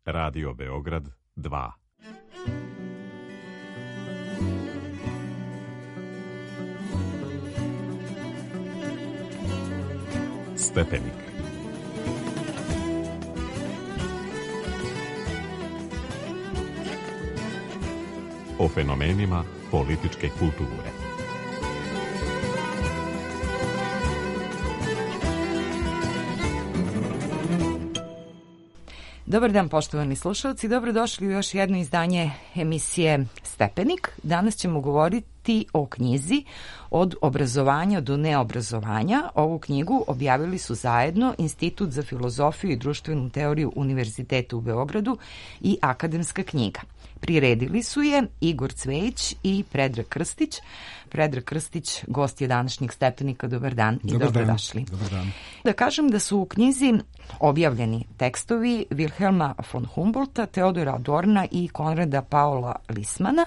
Radio Beograd 2. Stepenik. O fenomenima političke kulture. Dobar dan, poštovani slušalci, dobrodošli u još jedno izdanje emisije Stepenik. Danas ćemo govoriti o knjizi Od obrazovanja do neobrazovanja. Ovu knjigu objavili su zajedno Institut za filozofiju i društvenu teoriju Univerziteta u Beogradu i Akademska knjiga. Priredili su je Igor Cvejić i Predrag Krstić. Predrag Krstić, gost je današnjeg Stepenika. Dobar dan i dobrodošli. Dobar dan. Da kažem da su u knjizi objavljeni tekstovi Wilhelma von Humboldta, Teodora Adorna i Konrada Paula Lismana.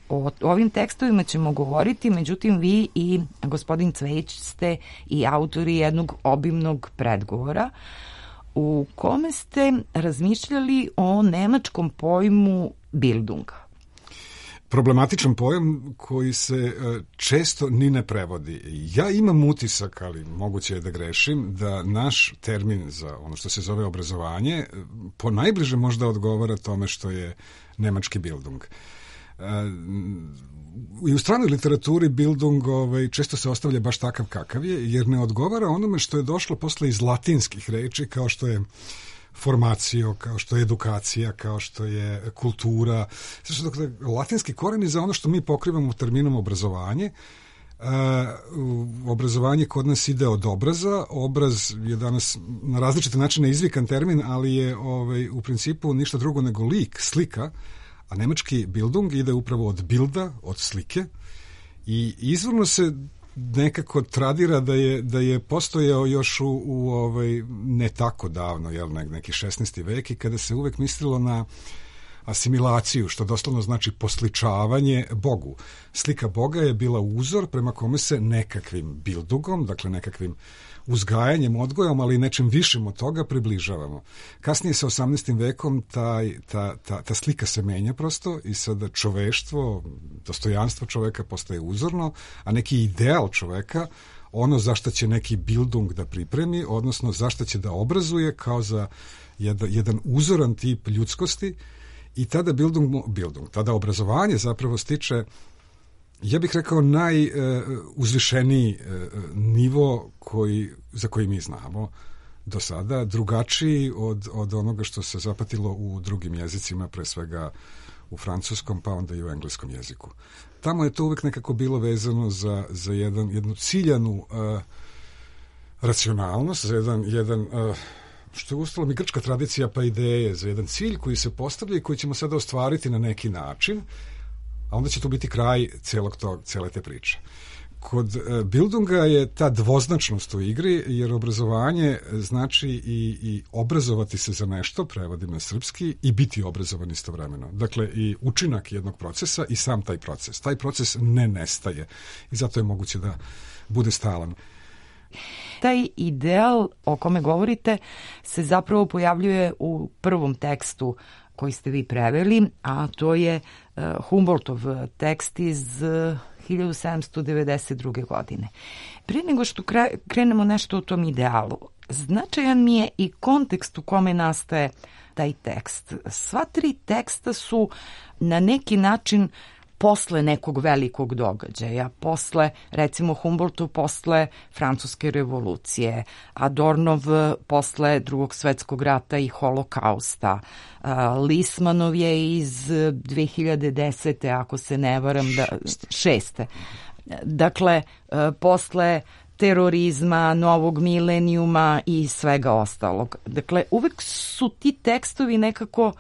O ovim tekstovima ćemo govoriti, međutim vi i gospodin Cvejić ste i autori jednog obimnog predgovora u kome ste razmišljali o nemačkom pojmu Bildung. Problematičan pojam koji se često ni ne prevodi. Ja imam utisak, ali moguće je da grešim, da naš termin za ono što se zove obrazovanje po najbliže možda odgovara tome što je nemački Bildung. I u stranoj literaturi Bildung često se ostavlja baš takav kakav je, jer ne odgovara onome što je došlo posle iz latinskih reči, kao što je formacio, kao što je edukacija, kao što je kultura. Dakle, latinski koreni za ono što mi pokrivamo terminom obrazovanje. Obrazovanje kod nas ide od obraza. Obraz je danas na različite načine izvikan termin, ali je u principu ništa drugo nego lik, slika, a nemački Bildung ide upravo od bilda, od slike, i izvorno se nekako tradira da je postojao još u ne tako davno, neki 16. vek, i kada se uvek mislilo na asimilaciju, što doslovno znači posličavanje Bogu. Slika Boga je bila uzor prema kome se nekakvim bildungom, dakle nekakvim uzgajanjem, odgojom, ali i nečim višim od toga približavamo. Kasnije sa 18. vekom ta slika se menja prosto i sada čoveštvo, dostojanstvo čoveka postaje uzorno, a neki ideal čoveka, ono za šta će neki Bildung da pripremi, odnosno za šta će da obrazuje kao za jedan uzoran tip ljudskosti, i tada tada obrazovanje zapravo stiče, ja bih rekao, najuzvišeniji nivo za koji mi znamo do sada, drugačiji od onoga što se zapatilo u drugim jezicima, pre svega u francuskom, pa onda i u engleskom jeziku. Tamo je to uvek nekako bilo vezano za jednu ciljanu racionalnost, za jedan što je ustala mi grčka tradicija pa ideje, za jedan cilj koji se postavlja i koji ćemo sada ostvariti na neki način, a onda će to biti kraj cele te priče. Kod Bildunga je ta dvoznačnost u igri, jer obrazovanje znači i obrazovati se za nešto, prevodim na srpski, i biti obrazovan istovremeno. Dakle, i učinak jednog procesa i sam taj proces. Taj proces ne nestaje i zato je moguće da bude stalan. Taj ideal o kome govorite se zapravo pojavljuje u prvom tekstu koji ste vi preveli, a to je Humboldtov tekst iz 1792. godine. Prije nego što krenemo nešto o tom idealu, značajan mi je i kontekst u kome nastaje taj tekst. Sva tri teksta su na neki način posle nekog velikog događaja, posle, recimo Humboldtu posle Francuske revolucije, Adornov posle Drugog svetskog rata i holokausta, Lismanov je iz 2010. ako se ne varam, 6. Dakle, posle terorizma, novog milenijuma i svega ostalog. Dakle, uvek su ti tekstovi nekako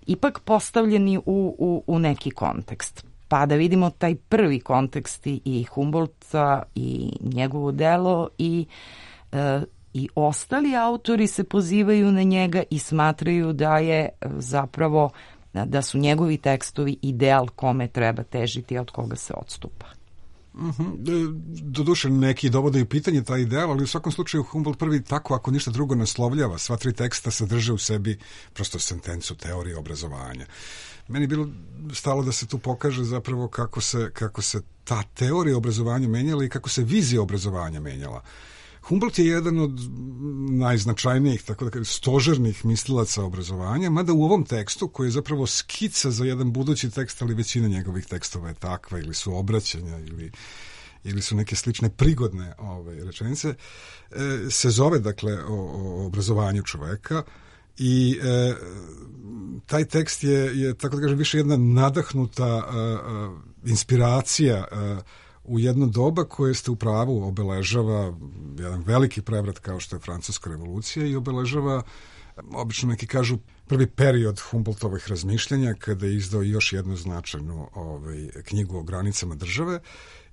ipak postavljeni u neki kontekst. Pa da vidimo taj prvi kontekst i Humboldta i njegovo delo i ostali autori se pozivaju na njega i smatraju da je zapravo da su njegovi tekstovi ideal kome treba težiti, od koga se odstupa. Doduše neki dovode u pitanje taj ideal, ali u svakom slučaju Humboldt prvi tako, ako ništa drugo, naslovljava. Sva tri teksta sadrže u sebi prosto sentencu teorije obrazovanja. Meni je bilo stalo da se tu pokaže zapravo kako se ta teorija obrazovanja menjala i kako se vizija obrazovanja menjala. Humboldt je jedan od najznačajnijih, tako da kažem, stožernih mislilaca obrazovanja, mada u ovom tekstu, koji je zapravo skica za jedan budući tekst, ali većina njegovih tekstova je takva, ili su obraćanja, ili su neke slične prigodne rečenice, se zove, dakle, o obrazovanju čoveka i taj tekst je, tako da kažem, više jedna nadahnuta inspiracija u jedno doba koje ste u pravu obeležava jedan veliki prevrat kao što je Francuska revolucija i obeležava, obično neki kažu, prvi period Humboldtovih razmišljanja kada je izdao još jednu značajnu knjigu o granicama države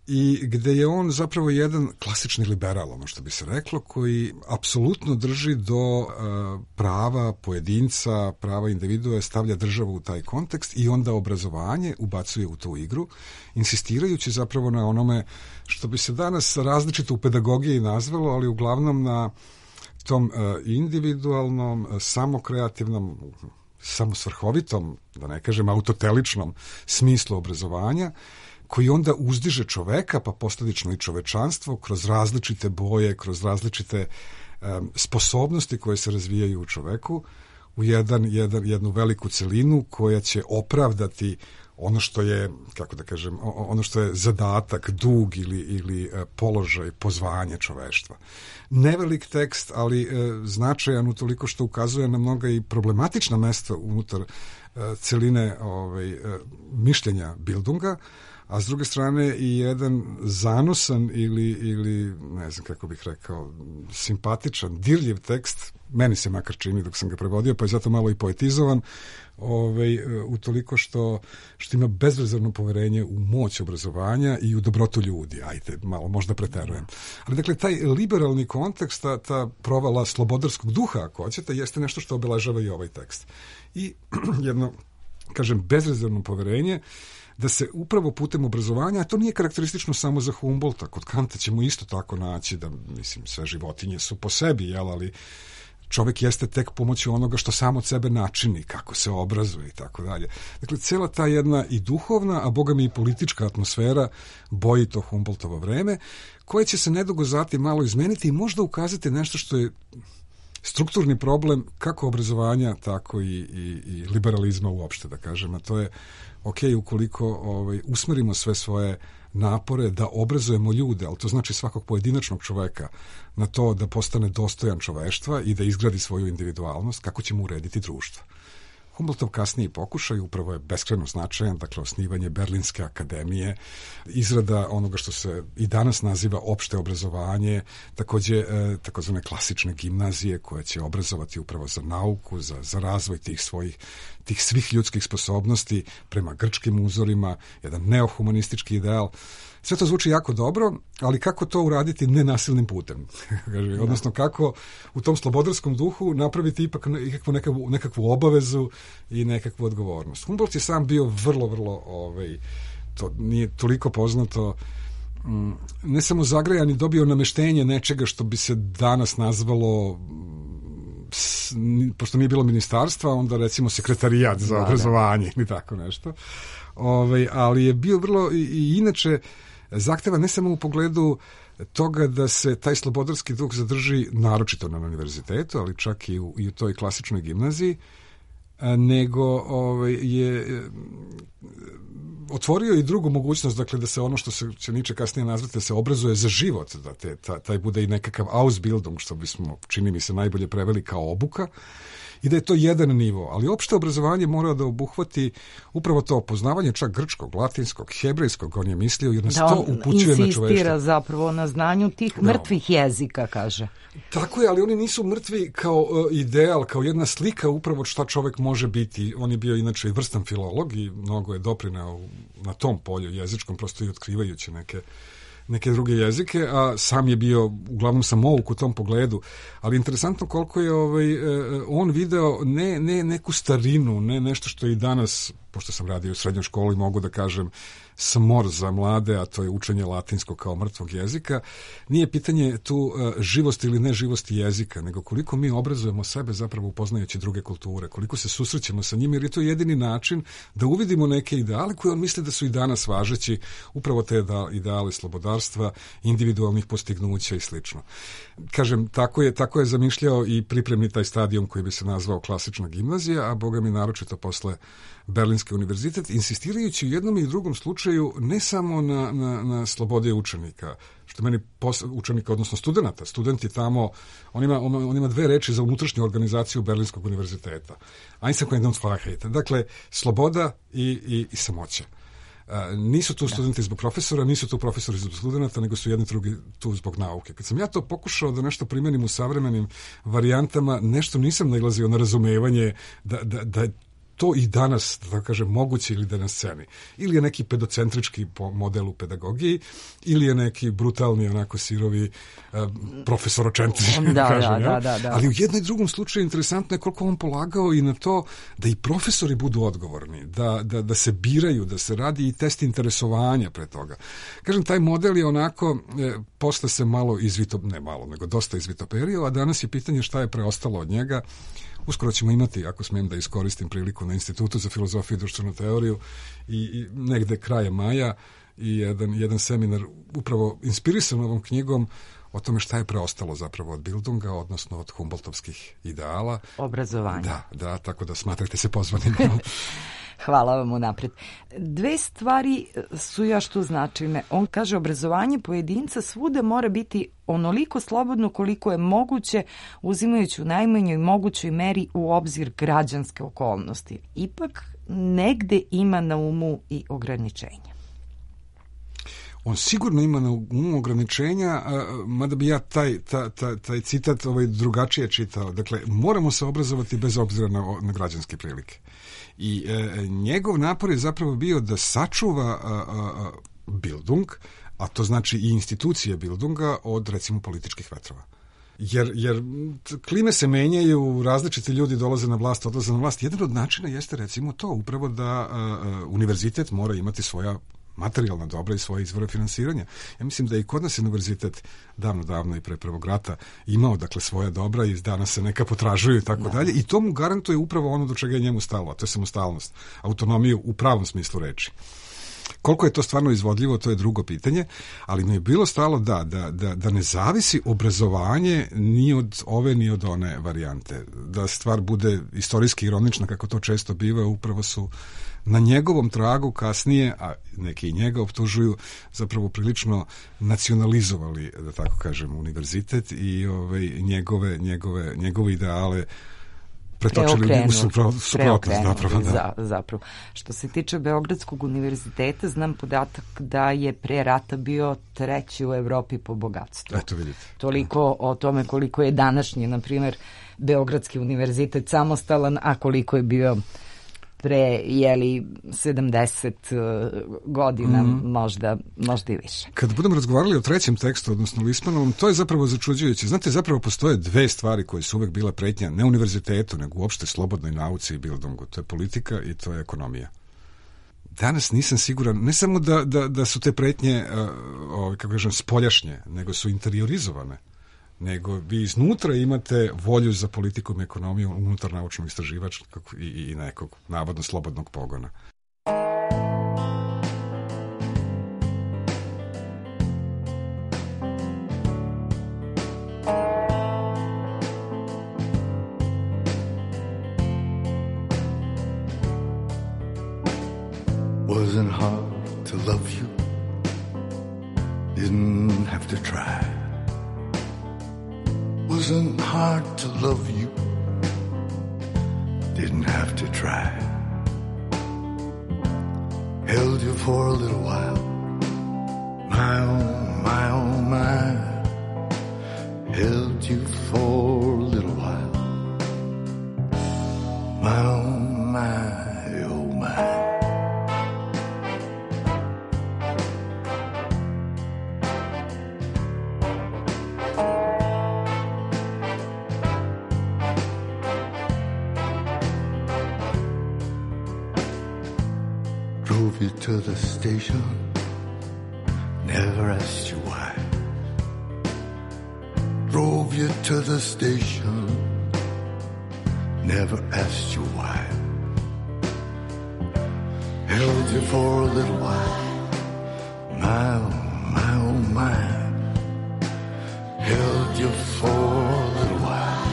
i gde je on zapravo jedan klasični liberal, ono što bi se reklo, koji apsolutno drži do prava pojedinca, prava individua, stavlja državu u taj kontekst i onda obrazovanje ubacuje u tu igru, insistirajući zapravo na onome što bi se danas različito u pedagogiji nazvalo, ali uglavnom na tom individualnom, samokreativnom, samosvrhovitom, da ne kažem autoteličnom smislu obrazovanja, koji onda uzdiže čoveka, pa posljedično i čovečanstvo, kroz različite boje, kroz različite sposobnosti koje se razvijaju u čoveku, u jednu veliku celinu koja će opravdati ono što je, kako da kažem, ono što je zadatak, dug ili položaj, pozvanje čoveštva. Nevelik tekst, ali značajan utoliko što ukazuje na mnoga i problematična mesta unutar celine mišljenja Bildunga, a s druge strane i jedan zanosan ili ne znam kako bih rekao, simpatičan, dirljiv tekst, meni se makar čini dok sam ga prevodio, pa je zato malo i poetizovan, utoliko što ima bezrezervno poverenje u moć obrazovanja i u dobrotu ljudi. Ajde, malo možda preterujem. Ali dakle, taj liberalni kontekst, ta provala slobodarskog duha, ako hoćete, jeste nešto što obeležava i ovaj tekst. I jedno, kažem, bezrezervno poverenje da se upravo putem obrazovanja, a to nije karakteristično samo za Humboldta, kod Kanta ćemo isto tako naći da, mislim, sve životinje su po sebi, ali čovjek jeste tek pomoću onoga što sam od sebe načini, kako se obrazuje i tako dalje. Dakle, cijela ta jedna i duhovna, a boga mi i politička atmosfera boji to Humboldtovo vreme, koje će se nedugo zatim malo izmeniti i možda ukazati nešto što je strukturni problem kako obrazovanja, tako i liberalizma uopšte, da kažem, a to je ukoliko usmerimo sve svoje napore da obrazujemo ljude, ali to znači svakog pojedinačnog čoveka, na to da postane dostojan čoveštva i da izgradi svoju individualnost, kako ćemo urediti društvo. Humboldtov kasniji pokušaj upravo je beskrajno značajan, dakle osnivanje Berlinske akademije, izrada onoga što se i danas naziva opšte obrazovanje, takođe takozvane klasične gimnazije koje će obrazovati upravo za nauku, za razvoj tih svih ljudskih sposobnosti prema grčkim uzorima, jedan neohumanistički ideal. Sve to zvuči jako dobro, ali kako to uraditi nenasilnim putem? Odnosno kako u tom slobodarskom duhu napraviti ipak nekakvu obavezu i nekakvu odgovornost. Humboldt je sam bio vrlo, to nije toliko poznato, ne samo zagrajan i dobio nameštenje nečega što bi se danas nazvalo, pošto nije bilo ministarstva, onda recimo sekretarijat za obrazovanje ili tako nešto. Ali je bio vrlo i inače zahteva ne samo u pogledu toga da se taj slobodarski duh zadrži naročito na univerzitetu, ali čak i u toj klasičnoj gimnaziji, nego je otvorio i drugu mogućnost, dakle da se ono što se će Nietzsche kasnije nazvati, da se obrazuje za život, da taj bude i nekakav Ausbildung, što bismo, čini mi se, najbolje preveli kao obuka, i da je to jedan nivo, ali opšte obrazovanje mora da obuhvati upravo to poznavanje čak grčkog, latinskog, hebrejskog, on je mislio, jer nas to upućuje na čoveštvo. Da on insistira zapravo na znanju tih mrtvih jezika, kaže. Tako je, ali oni nisu mrtvi kao ideal, kao jedna slika upravo šta čovek može biti. On je bio inače i vrstan filolog i mnogo je doprineo na tom polju jezičkom, prosto i otkrivajući neke druge jezike, a sam je bio uglavnom samouk u tom pogledu. Ali interesantno koliko je on video ne neku starinu, ne nešto što je i danas pošto sam radio u srednjoj školi, mogu da kažem smor za mlade, a to je učenje latinskog kao mrtvog jezika. Nije pitanje tu živosti ili neživosti jezika, nego koliko mi obrazujemo sebe zapravo upoznajući druge kulture, koliko se susrećemo sa njima, jer je to jedini način da uvidimo neke ideale koje on misli da su i danas važeći, upravo te ideale slobodarstva, individualnih postignuća i slično. Kažem, tako je zamišljao i pripremni taj stadijum koji bi se nazvao klasična gimnazija, a boga mi naročito posle Berlinski univerzitet, insistirajući u jednom i drugom slučaju ne samo na slobode učenika, što meni učenika, odnosno studenta. Studenti tamo, on ima dve reči za unutrašnju organizaciju Berlinskog univerziteta. Einsamkeit und Freiheit. Dakle, sloboda i samoća. Nisu tu studenti zbog profesora, nisu tu profesori zbog studenta, nego su jedni drugi tu zbog nauke. Kad sam ja to pokušao da nešto primenim u savremenim varijantama, nešto nisam nailazio na razumevanje da je to i danas, da tako kažem, moguće ili da na sceni. Ili je neki pedocentrički model u pedagogiji, ili je neki brutalni, onako sirovi profesorocentrički, da. Ali u jednom i drugom slučaju interesantno je koliko on polagao i na to da i profesori budu odgovorni, da se biraju, da se radi i test interesovanja pre toga. Kažem, taj model je onako, posle se malo nego dosta izvitoperio, a danas je pitanje šta je preostalo od njega. Uskoro ćemo imati, ako smijem da iskoristim priliku, na Institutu za filozofiju i društvenu teoriju i negde krajem maja i jedan seminar upravo inspirisan ovom knjigom o tome šta je preostalo zapravo od Bildunga, odnosno od Humboldtovskih ideala. Obrazovanje. Da, tako da smatrate se pozvanim. Hvala vam unapred. Dve stvari su još tu značajne. On kaže, obrazovanje pojedinca svuda mora biti onoliko slobodno koliko je moguće, uzimajući u najmanjoj mogućoj meri u obzir građanske okolnosti. Ipak negde ima na umu i ograničenja. On sigurno ima na umu ograničenja, mada bi ja taj citat drugačije čitao. Dakle, moramo se obrazovati bez obzira na građanske prilike. I njegov napor je zapravo bio da sačuva Bildung, a to znači i institucije Bildunga, od recimo političkih vetrova. Jer klime se menjaju, različiti ljudi dolaze na vlast, odlaze na vlast. Jedan od načina jeste recimo to, upravo da univerzitet mora imati svoja materijalna dobra i svoje izvore finansiranja. Ja mislim da i kod nas univerzitet davno i pre Prvog rata imao dakle svoja dobra i danas se neka potražuju i tako dalje i to mu garantuje upravo ono do čega je njemu stalo, a to je samostalnost, autonomiju u pravom smislu reči. Koliko je to stvarno izvodljivo, to je drugo pitanje, ali mi je bilo stalo da ne zavisi obrazovanje ni od ove ni od one varijante. Da stvar bude istorijski ironična, kako to često biva, upravo su na njegovom tragu kasnije, a neki i njega optužuju, zapravo prilično nacionalizovali, da tako kažem, univerzitet i njegove ideale pretočili u suprotnost. Zapravo. Što se tiče Beogradskog univerziteta, znam podatak da je pre rata bio treći u Evropi po bogatstvu. Eto vidite. Toliko o tome koliko je današnji, na primjer, Beogradski univerzitet samostalan, a koliko je bio pre 70 godina, možda i više. Kad budemo razgovarali o trećem tekstu, odnosno Lismanovom, to je zapravo začuđujuće. Znate, zapravo postoje dve stvari koje su uvek bila pretnja, ne univerzitetu, nego uopšte slobodnoj nauci i Bildungu. To je politika i to je ekonomija. Danas nisam siguran, ne samo da su te pretnje, kako kažem, spoljašnje, nego su interiorizovane. Nego vi iznutra imate volju za politikom i ekonomijom unutar naučnog istraživačkog i nekog navodno slobodnog pogona. Wasn't hard to love you, didn't have to try. Wasn't hard to love you, didn't have to try. Held you for a little while, my oh my. Held you for a little while, my oh my, oh my. drove you to the station, never asked you why. Drove you to the station, never asked you why. Held you for a little while, my oh my. Held you for a little while,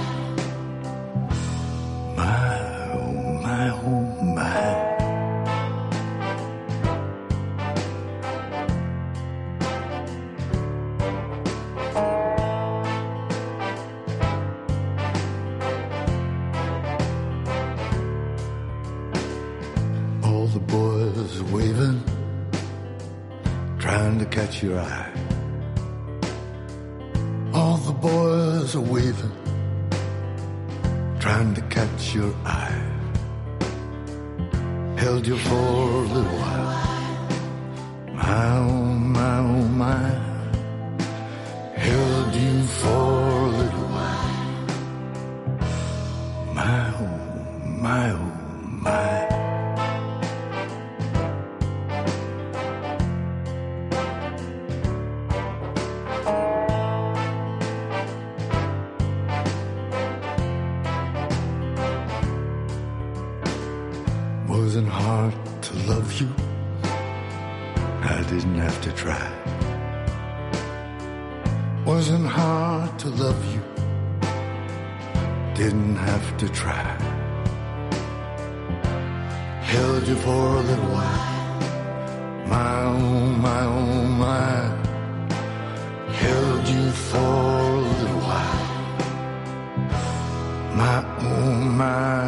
my oh my. All the boys waving, trying to catch your eye. All the boys are waving, trying to catch your eye. Held you for a little while, my oh my. Held you for a little while, my oh my. Wasn't hard to love you, I didn't have to try. Wasn't hard to love you, didn't have to try. Held you for a little while, my oh my. Held you for a little while, my oh my.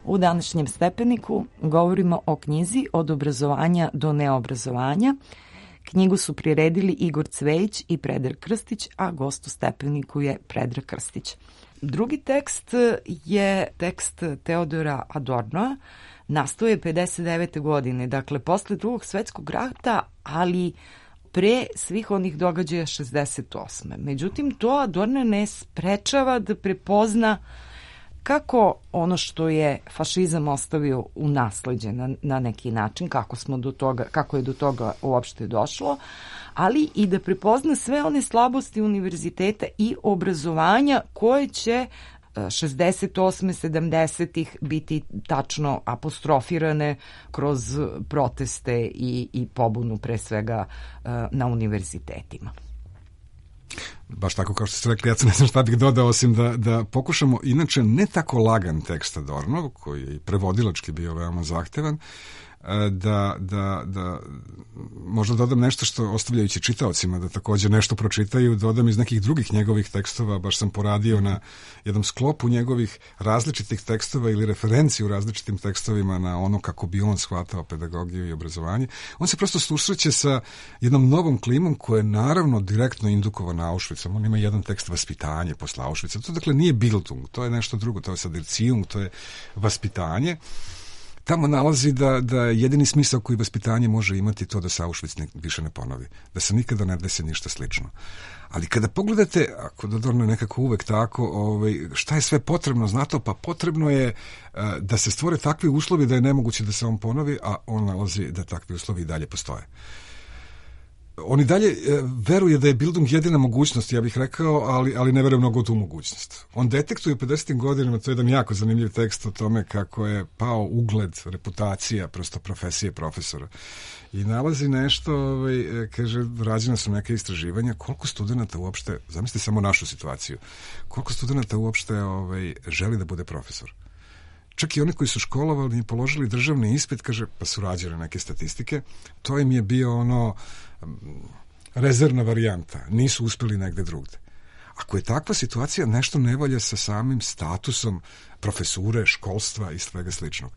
U današnjem stepeniku govorimo o knjizi Od obrazovanja do neobrazovanja. Knjigu su priredili Igor Cvejić i Predrag Krstić, a gost u stepeniku je Predrag Krstić. Drugi tekst je tekst Teodora Adornoa, nastao je 59. godine, dakle posle Drugog svetskog rata, ali pre svih onih događaja 68. Međutim, to Adorno ne sprečava da prepozna kako ono što je fašizam ostavio u nasleđe na neki način, kako je do toga uopšte došlo, ali i da prepozna sve one slabosti univerziteta i obrazovanja koje će 68. 70-ih biti tačno apostrofirane kroz proteste i pobunu pre svega na univerzitetima. Baš tako kao što ste rekli, ja ne znam šta bih dodao, osim da pokušamo, inače ne tako lagan tekst Adornov, koji je i prevodilački bio veoma zahtevan, da možda dodam nešto što, ostavljajući čitaocima da također nešto pročitaju, dodam iz nekih drugih njegovih tekstova. Baš sam poradio na jednom sklopu njegovih različitih tekstova ili referenciju u različitim tekstovima na ono kako bi on shvatao pedagogiju i obrazovanje. On se prosto susreće sa jednom novom klimom koja je naravno direktno indukovana Auschwitzom. On ima jedan tekst vaspitanje posle Auschwitza. To dakle nije Bildung, to je nešto drugo, to je sad Erziehung, to je vaspitanje. Tamo nalazi da jedini smisao koji vaspitanje može imati to da se Auschwitz više ne ponovi, da se nikada ne desi ništa slično. Ali kada pogledate, ako Adorno je nekako uvek tako, šta je sve potrebno za to? Pa potrebno je da se stvore takvi uslovi da je nemoguće da se on ponovi, a on nalazi da takvi uslovi i dalje postoje. On i dalje veruje da je Bildung jedina mogućnost, ja bih rekao, ali ne veruje mnogo u tu mogućnost. On detektuje u 50. godinama, to je jedan jako zanimljiv tekst o tome kako je pao ugled, reputacija, prosto profesije profesora. I nalazi nešto, kaže, rađena su neke istraživanja, koliko studenta uopšte, zamislite samo našu situaciju, koliko studenta uopšte želi da bude profesor. Čak i oni koji su školovali i položili državni ispit, kaže, pa su rađene neke statistike, to im je bio rezervna varijanta, nisu uspeli negde drugde. Ako je takva situacija, nešto ne valja sa samim statusom profesure, školstva i svega sličnog.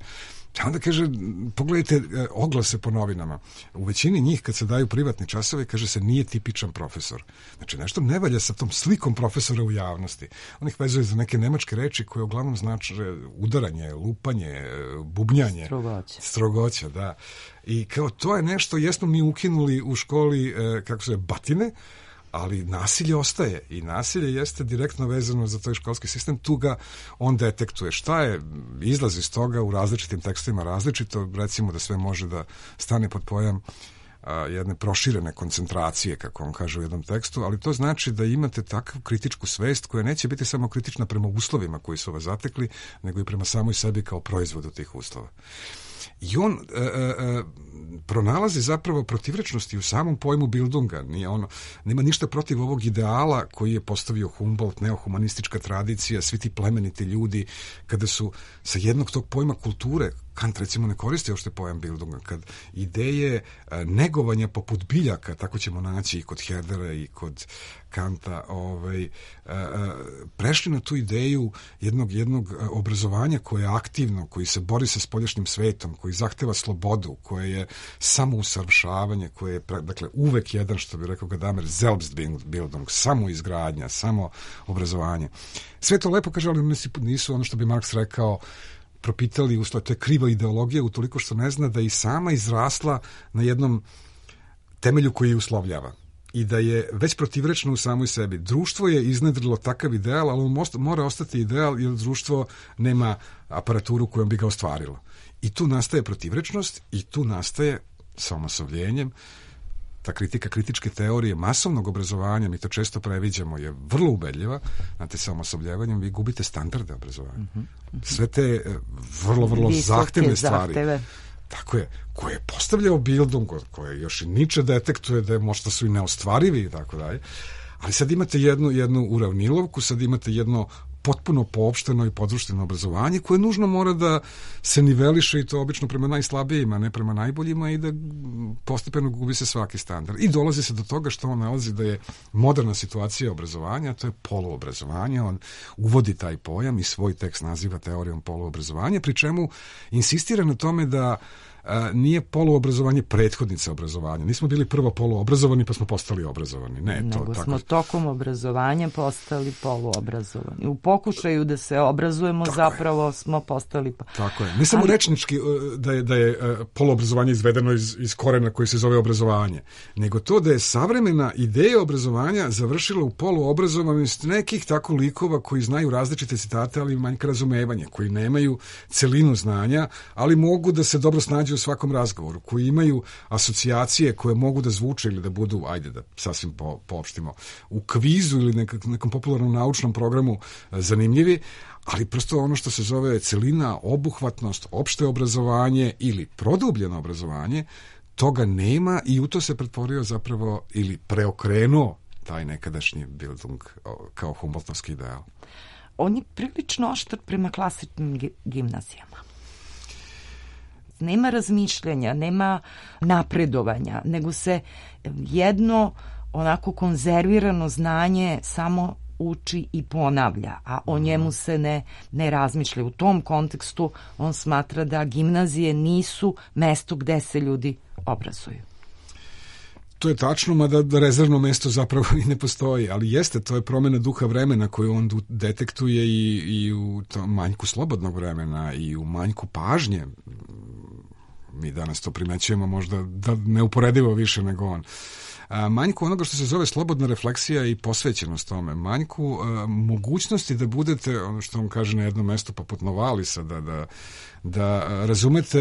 Onda kaže, pogledajte oglase po novinama. U većini njih, kad se daju privatni časovi, kaže se nije tipičan profesor. Znači, nešto ne valja sa tom slikom profesora u javnosti. On ih vezuje za neke nemačke reči koje uglavnom znači udaranje, lupanje, bubnjanje. Strogoća, da. I kao to je nešto, jesmo mi ukinuli u školi, kako se zove, batine, ali nasilje ostaje i nasilje jeste direktno vezano za taj školski sistem, tu ga on detektuje. Šta je izlaz iz toga u različitim tekstovima različito, recimo da sve može da stane pod pojam jedne proširene koncentracije, kako on kaže u jednom tekstu, ali to znači da imate takvu kritičku svest koja neće biti samo kritična prema uslovima koji su vas zatekli, nego i prema samoj sebi kao proizvodu tih uslova. I on pronalazi zapravo protivrečnosti u samom pojmu Bildunga. Nema ništa protiv ovog ideala koji je postavio Humboldt, neohumanistička tradicija, svi ti plemeniti ljudi, kada su sa jednog tog pojma kulture, Kant recimo ne koristi uopšte pojam Bildunga, kad ideje negovanja poput biljaka, tako ćemo naći i kod Herdera i kod Kanta, prešli na tu ideju jednog obrazovanja koje je aktivno, koji se bori sa spoljašnjim svetom, koji zahteva slobodu, koje je samousavršavanje, koje je dakle uvek jedan, što bi rekao Gadamer, Selbstbildung, samoizgradnja, samo obrazovanje. Sve to lepo kaže, ali nisu ono što bi Marks rekao propitali, usled, to je kriva ideologija utoliko što ne zna da i sama izrasla na jednom temelju koji je uslovljava i da je već protivrečno u samoj sebi. Društvo je iznedrilo takav ideal, ali on mora ostati ideal jer društvo nema aparaturu kojom bi ga ostvarilo. I tu nastaje protivrečnost i tu nastaje sa omasovljenjem ta kritika kritičke teorije masovnog obrazovanja, mi to često previđamo, je vrlo ubedljiva. Znate, sa omasobljavanjem vi gubite standarde obrazovanja. Sve te vrlo zahtevne stvari. Tako je, koje je postavljao Bildung, koje još i Nietzsche detektuje da možda su i neostvarivi i tako dalje. Ali sad imate jednu uravnilovku, sad imate jedno potpuno poopšteno i podrušteno obrazovanje koje nužno mora da se niveliše i to obično prema najslabijima, ne prema najboljima i da postepeno gubi se svaki standard. I dolazi se do toga što on nalazi da je moderna situacija obrazovanja, to je poluobrazovanje, on uvodi taj pojam i svoj tekst naziva teorijom poluobrazovanja, pri čemu insistira na tome da nije poluobrazovanje prethodnica obrazovanja. Nismo bili prvo poluobrazovani pa smo postali obrazovani. Nego smo tokom obrazovanja postali poluobrazovani. U pokušaju da se obrazujemo zapravo smo postali... Tako je. Ne samo rečnički da je poluobrazovanje izvedeno iz korena koji se zove obrazovanje, nego to da je savremena ideja obrazovanja završila u poluobrazovanosti nekih tako likova koji znaju različite citate, ali manjka razumevanja, koji nemaju celinu znanja, ali mogu da se dobro snađu u svakom razgovoru, koji imaju asocijacije koje mogu da zvuče ili da budu, ajde da sasvim poopštimo, u kvizu ili nekom popularnom naučnom programu zanimljivi, ali prosto ono što se zove celina, obuhvatnost, opšte obrazovanje ili produbljeno obrazovanje, toga nema i u to se pretvorio zapravo ili preokrenuo taj nekadašnji Bildung kao Humboldtovski ideal. On je prilično oštar prema klasičnim gimnazijama. Nema razmišljanja, nema napredovanja, nego se jedno onako konzervirano znanje samo uči i ponavlja, a o njemu se ne razmišlja. U tom kontekstu on smatra da gimnazije nisu mesto gde se ljudi obrazuju. To je tačno, mada rezervno mesto zapravo i ne postoji, ali jeste, to je promjena duha vremena koju on detektuje i u tom manjku slobodnog vremena i u manjku pažnje. Mi danas to primećujemo možda da neuporedivo više nego on. Manjku onoga što se zove slobodna refleksija i posvećenost tome. Manjku mogućnosti da budete, ono što on kaže na jednom mestu poput Novalisa, da razumete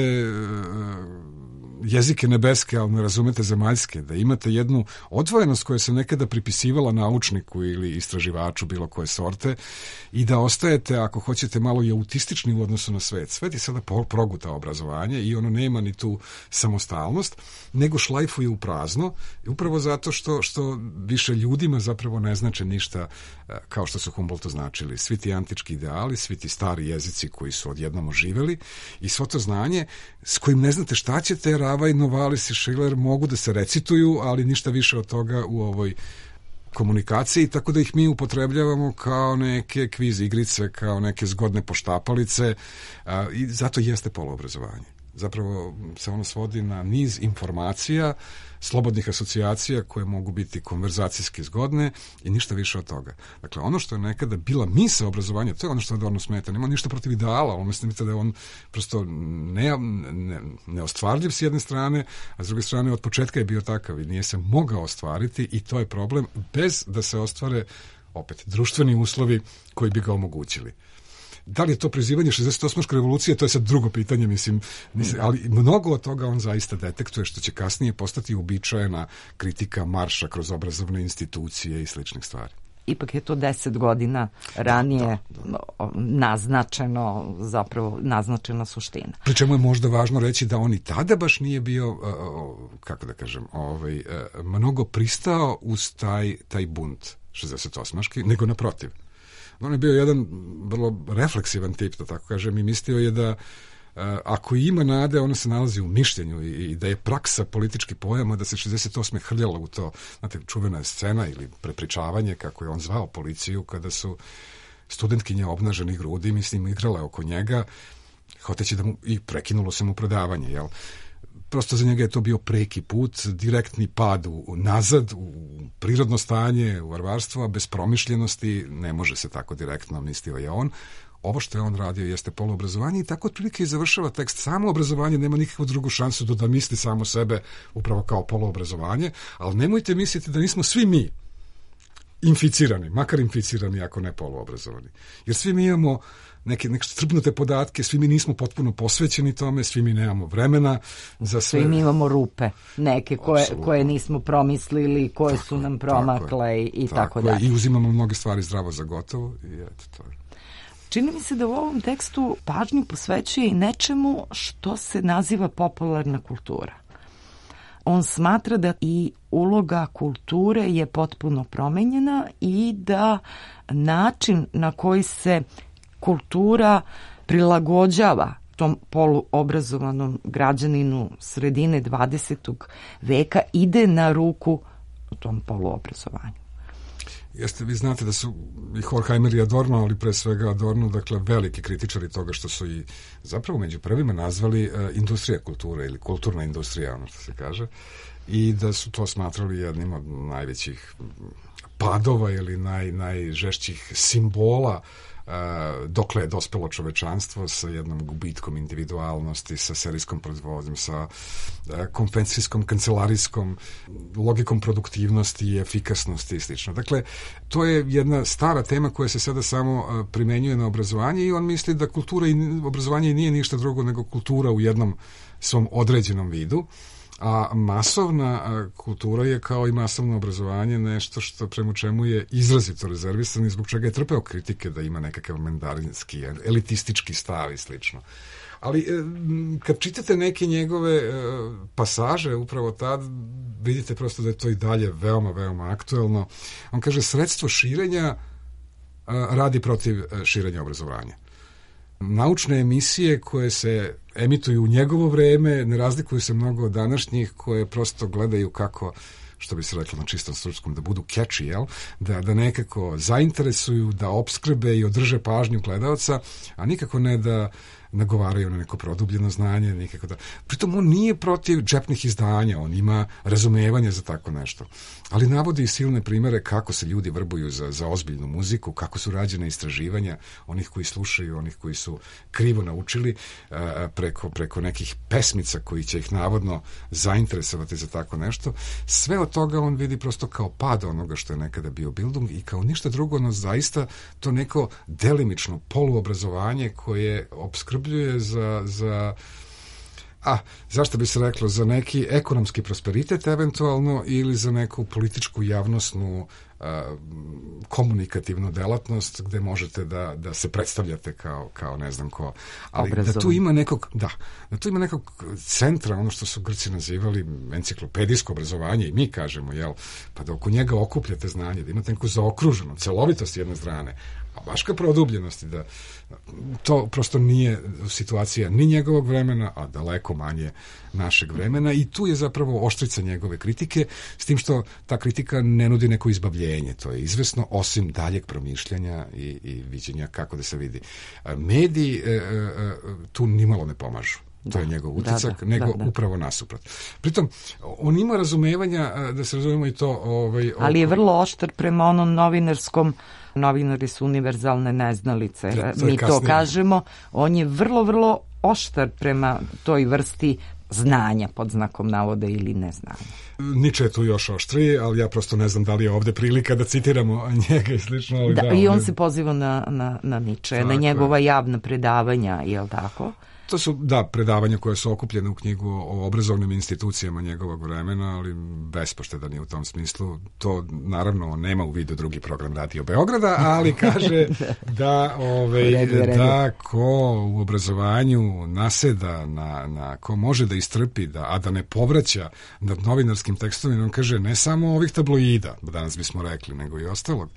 jezike nebeske, ali ne razumete zemaljske, da imate jednu odvojenost koja se nekada pripisivala naučniku ili istraživaču bilo koje sorte i da ostajete, ako hoćete, malo i autistični u odnosu na svet. Svet je sada proguta obrazovanje i ono nema ni tu samostalnost, nego šlajfuje u prazno, upravo zato što više ljudima zapravo ne znače ništa kao što su Humboldtu značili. Svi ti antički ideali, svi ti stari jezici koji su odjednom oživeli i svo to znanje s kojim ne znate šta ćete, Ravaj, Novalis i Schiller mogu da se recituju, ali ništa više od toga u ovoj komunikaciji, tako da ih mi upotrebljavamo kao neke kviz igrice, kao neke zgodne poštapalice i zato jeste poluobrazovanje. Zapravo se ono svodi na niz informacija, slobodnih asocijacija koje mogu biti konverzacijski zgodne i ništa više od toga. Dakle, ono što je nekada bila misao obrazovanja, to je ono što Adorno smeta. Nema ništa protiv ideala, on mislim da je on prosto neostvarljiv s jedne strane, a s druge strane od početka je bio takav i nije se mogao ostvariti i to je problem bez da se ostvare opet društveni uslovi koji bi ga omogućili. Da li je to prizivanje 68. revolucije, to je sad drugo pitanje, mislim, ali mnogo od toga on zaista detektuje, što će kasnije postati uobičajena kritika marša kroz obrazovne institucije i sličnih stvari. Ipak je to 10 godina ranije naznačeno, zapravo naznačena suština. Pri čemu je možda važno reći da on i tada baš nije bio, kako da kažem, mnogo pristao uz taj bunt 68. nego naprotiv. On je bio jedan vrlo refleksivan tip, da tako kažem, i mislio je da ako ima nade, ona se nalazi u mišljenju i da je praksa političkih pojama da se 68. hrljalo u to, znate, čuvena scena ili prepričavanje, kako je on zvao policiju, kada su studentkinje obnaženih grudi, mislim, igrale oko njega, hoteći da mu, i prekinulo se mu predavanje, jel? Prosto za njega je to bio preki put, direktni pad nazad, u prirodno stanje, u varvarstvo, a bez promišljenosti ne može se tako direktno, mislio je on. Ovo što je on radio jeste poluobrazovanje i tako otprilike i završava tekst. Samo obrazovanje nema nikakvu drugu šansu da misli samo sebe upravo kao poluobrazovanje, ali nemojte misliti da nismo svi mi inficirani, makar inficirani ako ne poluobrazovani. Jer svi mi imamo neke strpnute podatke, svi mi nismo potpuno posvećeni tome, svi mi nemamo vremena za sve. Svi mi imamo rupe, neke koje nismo promislili, koje su nam promakle i tako dalje. I uzimamo mnoge stvari zdravo za gotovo i eto to je. Čini mi se da u ovom tekstu pažnju posvećuje i nečemu što se naziva popularna kultura. On smatra da i uloga kulture je potpuno promenjena i da način na koji se kultura prilagođava tom poluobrazovanom građaninu sredine 20. veka ide na ruku tom poluobrazovanju. Jeste, vi znate da su i Horkheimer i Adorno, ali pre svega Adorno, dakle, veliki kritičari toga što su i zapravo među prvima nazvali industrija kulture ili kulturna industrija, ono što se kaže, i da su to smatrali jednim od najvećih padova ili najžešćih simbola dokle je dospelo čovečanstvo sa jednom gubitkom individualnosti, sa serijskom proizvodnjom, sa konvencijskom, kancelarijskom logikom produktivnosti i efikasnosti i slično. Dakle, to je jedna stara tema koja se sada samo primenjuje na obrazovanje i on misli da kultura i obrazovanje nije ništa drugo nego kultura u jednom svom određenom vidu. A masovna kultura je kao i masovno obrazovanje nešto što prema čemu je izrazito rezervisan i zbog čega je trpeo kritike da ima nekakav mandarinski, elitistički stav i slično. Ali kad čitate neke njegove pasaže upravo tad, vidite prosto da je to i dalje veoma, veoma aktuelno. On kaže, sredstvo širenja radi protiv širenja obrazovanja. Naučne emisije koje se emituju u njegovo vreme ne razlikuju se mnogo od današnjih, koje prosto gledaju kako, što bi se reklo na čistom srpskom, da budu catchy, jel? Da nekako zainteresuju, da opskrbe i održe pažnju gledaoca, a nikako ne da nagovaraju na neko produbljeno znanje, nikako da... Pritom on nije protiv džepnih izdanja, on ima razumevanje za tako nešto. Ali navodi i silne primere kako se ljudi vrbuju za ozbiljnu muziku, kako su rađene istraživanja onih koji slušaju, onih koji su krivo naučili preko nekih pesmica koji će ih navodno zainteresovati za tako nešto. Sve od toga on vidi prosto kao pad onoga što je nekada bio Bildung i kao ništa drugo, no zaista to neko delimično poluobrazovanje koje opskrbljuje zašto bi se reklo, za neki ekonomski prosperitet eventualno ili za neku političku javnosnu komunikativnu delatnost gde možete da se predstavljate kao ne znam ko. Ali da tu ima nekog centra, ono što su Grci nazivali enciklopedijsko obrazovanje i mi kažemo, jel, pa da oko njega okupljate znanje, da imate neku zaokruženu celovitost jedne strane, a baš ka produbljenosti, da to prosto nije situacija ni njegovog vremena, a daleko manje našeg vremena, i tu je zapravo oštrica njegove kritike, s tim što ta kritika ne nudi neko izbavljenje, to je izvesno, osim daljeg promišljanja i viđenja kako da se vidi. Mediji tu nimalo ne pomažu. To je njegov utisak, nego upravo nasuprot. Pritom, on ima razumevanja, da se razumemo i to... Ali je vrlo oštar prema onom novinarskom, novinari su univerzalne neznalice, mi to kažemo, on je vrlo, vrlo oštar prema toj vrsti znanja, pod znakom navoda, ili neznanja. Nietzsche je tu još oštriji, ali ja prosto ne znam da li je ovde prilika da citiramo njega i slično. Ali i on se poziva na Nietzsche, na njegova javna predavanja, je li tako? To su, predavanja koje su okupljene u knjigu o obrazovnim institucijama njegovog vremena, ali bespoštedan je u tom smislu. To, naravno, nema u vidu drugi program Radio Beograda, ali kaže da ko u obrazovanju naseda, ko može da istrpi, a da ne povraća nad novinarskim tekstovima, on kaže ne samo ovih tabloida, danas bismo rekli, nego i ostalog,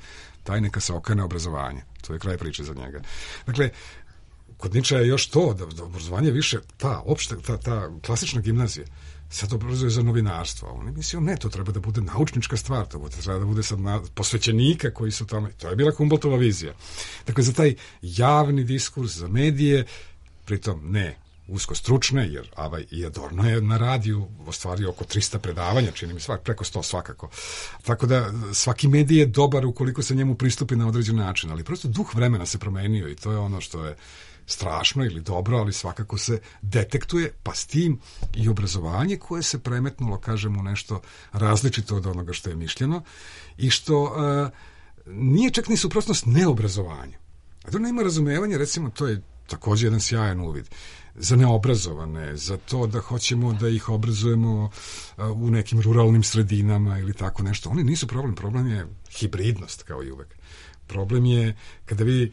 taj neka se okrene obrazovanje. To je kraj priče za njega. Dakle, kod Nietzschea je još to, da obrazovanje više, ta klasična gimnazija, sad obrazuje za novinarstvo. On je mislio, ne, to treba da bude naučnička stvar, to treba da bude sad posvećenika koji su tamo, to je bila Humboldtova vizija. Dakle, za taj javni diskurs, za medije, pritom ne usko stručne, jer Avaj i Adorno je na radiju ostvario oko 300 predavanja, čini mi preko 100 svakako. Tako da svaki medij je dobar ukoliko se njemu pristupi na određen način, ali prosto duh vremena se promenio i to je ono što je strašno ili dobro, ali svakako se detektuje, pa s tim i obrazovanje koje se premetnulo, kažemo, nešto različito od onoga što je mišljeno i što nije čak ni suprotnost neobrazovanju. Adorno ima razumevanje, recimo, to je također jedan sjajan uvid za neobrazovane, za to da hoćemo da ih obrazujemo u nekim ruralnim sredinama ili tako nešto. Oni nisu problem, problem je hibridnost, kao i uvek. Problem je kada vi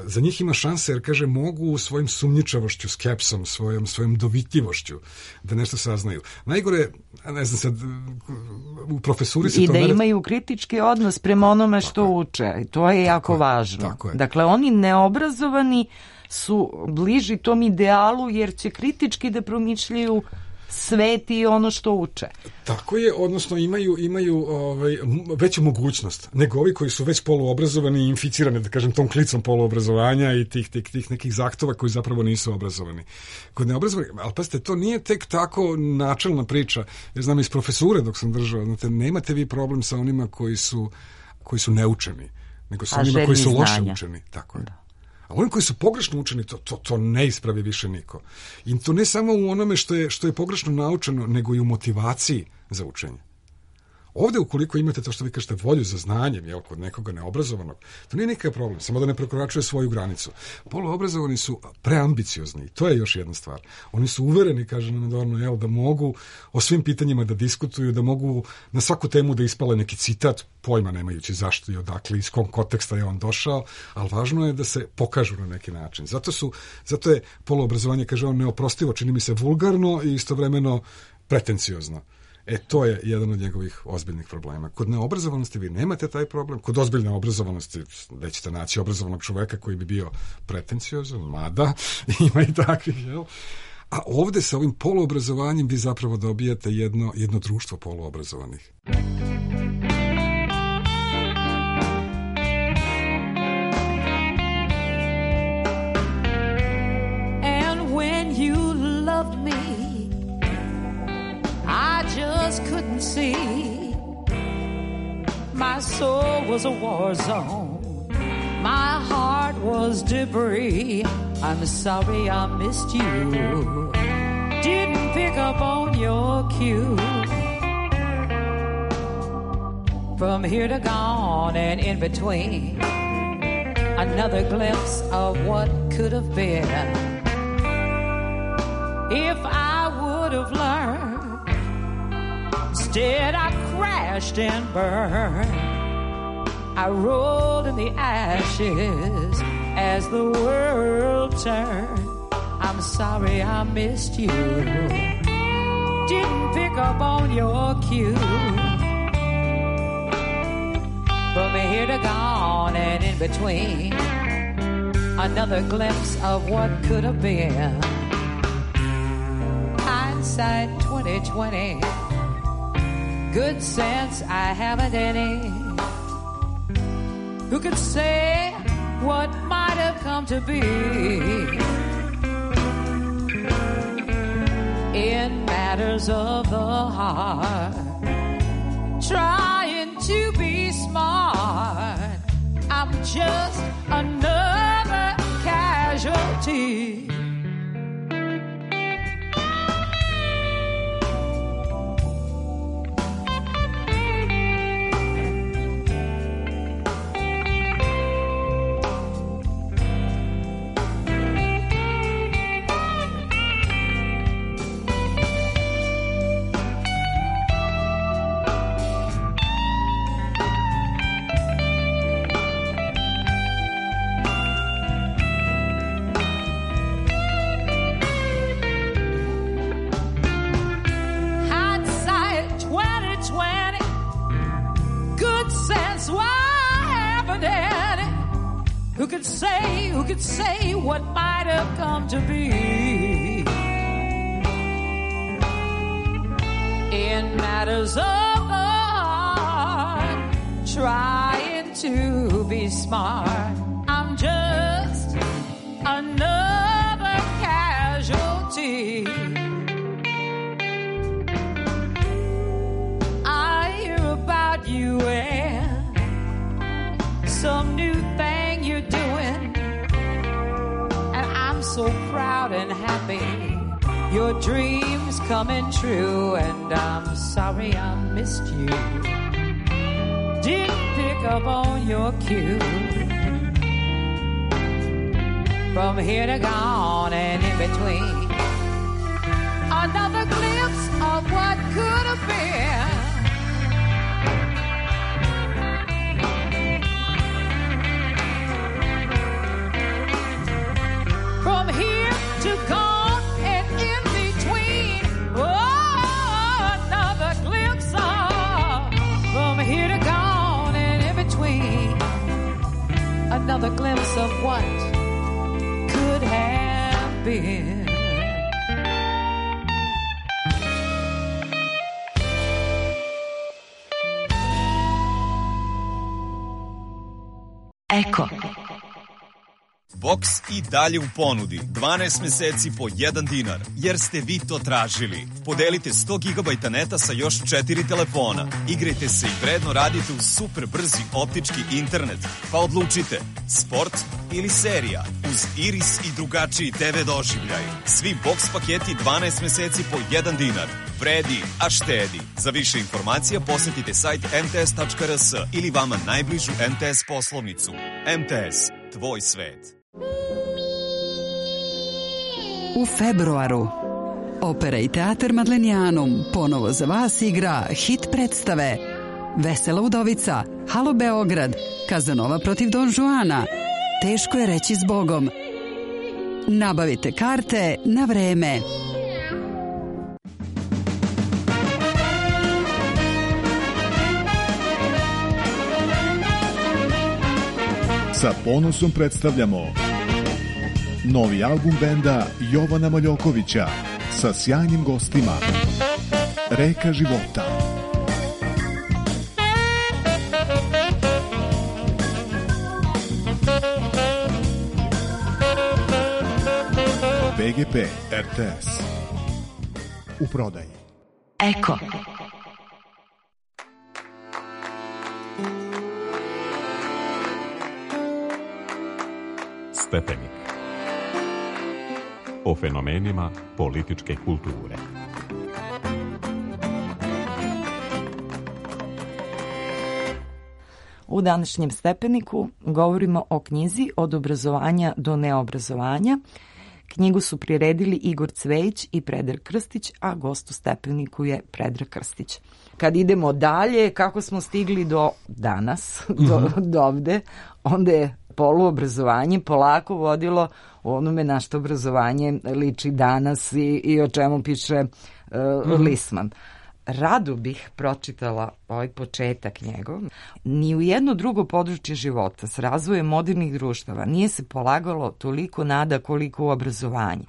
za njih ima šanse, jer kaže mogu svojim sumnjičavošću, skepsom, svojom dovitljivošću da nešto saznaju. Najgore, ne znam sad, u profesuri se to... I da imaju kritički odnos prema onome što uče. To je jako važno. Tako je. Dakle, oni neobrazovani su bliži tom idealu jer će kritički da promišljaju svet i ono što uče. Tako je, odnosno imaju veću mogućnost nego ovi koji su već poluobrazovani i inficirani, da kažem, tom klicom poluobrazovanja i tih nekih zahtova koji zapravo nisu obrazovani. Kod neobrazovani, ali pazite, to nije tek tako načelna priča. Ja znam iz profesure dok sam držao, znate, nemate vi problem sa onima koji su neučeni, nego sa onima koji su loše učeni. Tako je. Da. A oni koji su pogrešno učeni, to ne ispravi više niko. I to ne samo u onome što je pogrešno naučeno, nego i u motivaciji za učenje. Ovde, ukoliko imate to što vi kažete, volju za znanjem, kod nekoga neobrazovanog, to nije nikakav problem, samo da ne prekoračuje svoju granicu. Poluobrazovani su preambiciozni, to je još jedna stvar. Oni su uvereni, kaže nam Adorno, da mogu o svim pitanjima da diskutuju, da mogu na svaku temu da ispale neki citat, pojma nemajući zašto i odakle, iz kog konteksta je on došao, ali važno je da se pokažu na neki način. Zato je poluobrazovanje, kaže on, neoprostivo, čini mi se vulgarno i istovremeno pretenciozno. To je jedan od njegovih ozbiljnih problema. Kod neobrazovanosti vi nemate taj problem, kod ozbiljne obrazovanosti nećete naći obrazovanog čoveka koji bi bio pretenciozan, mada ima i takvih, jel? A ovde sa ovim poluobrazovanjem vi zapravo dobijate jedno društvo poluobrazovanih. And when you loved me, I just couldn't see. My soul was a war zone. My heart was debris. I'm sorry I missed you. Didn't pick up on your cue. From here to gone and in between, another glimpse of what could have been. If I would have learned, instead I crashed and burned. I rolled in the ashes as the world turned. I'm sorry I missed you. Didn't pick up on your cue. From here to gone and in between. Another glimpse of what could have been. Hindsight 2020. Good sense, I haven't any. Who could say what might have come to be? In matters of the heart, trying to be smart, I'm just another casualty. Who could say what might have come to be? In matters of the heart, trying to be smart, I'm just another casualty. I hear about you and some new thing you're doing, and I'm so proud and happy. Your dreams coming true, and I'm sorry I missed you. Didn't pick up on your cue. From here to gone and in between, another glimpse of what could have been. From here to gone and in between, oh, another glimpse of. From here to gone and in between, another glimpse of what could have been. Eko. Box i dalje u ponudi. 12 meseci po 1 dinar, jer ste vi to tražili. Podelite 100 GB neta sa još 4 telefona. Igrajte se i vredno radite uz super brzi optički internet. Pa odlučite, sport ili serija. Uz Iris i drugačiji TV doživljaj. Svi box paketi 12 meseci po 1 dinar. Vredi, a štedi. Za više informacija posetite sajt mts.rs ili vama najbližu MTS poslovnicu. MTS, tvoj svet. U februaru Opera i teatar Madlenijanum ponovo za vas igra hit predstave Vesela udovica, Halo Beograd, Kazanova protiv Don Juana, Teško je reći zbogom. Nabavite karte na vreme. Sa ponosom predstavljamo novi album benda Jovana Maljokovića sa sjajnim gostima. Reka života. BGP RTS. U prodaji. Eko. Stepenik. O fenomenima političke kulture. U današnjem Stepeniku govorimo o knjizi Od obrazovanja do neobrazovanja. Knjigu su priredili Igor Cvejić i Predrag Krstić, a gost u Stepeniku je Predrag Krstić. Kad idemo dalje, kako smo stigli do danas, do ovde, onda je poluobrazovanje polako vodilo onome na što obrazovanje liči danas i o čemu piše Lisman. rado bih pročitala ovaj početak njegov. Ni u jedno drugo područje života s razvojem modernih društava nije se polagalo toliko nada koliko u obrazovanje.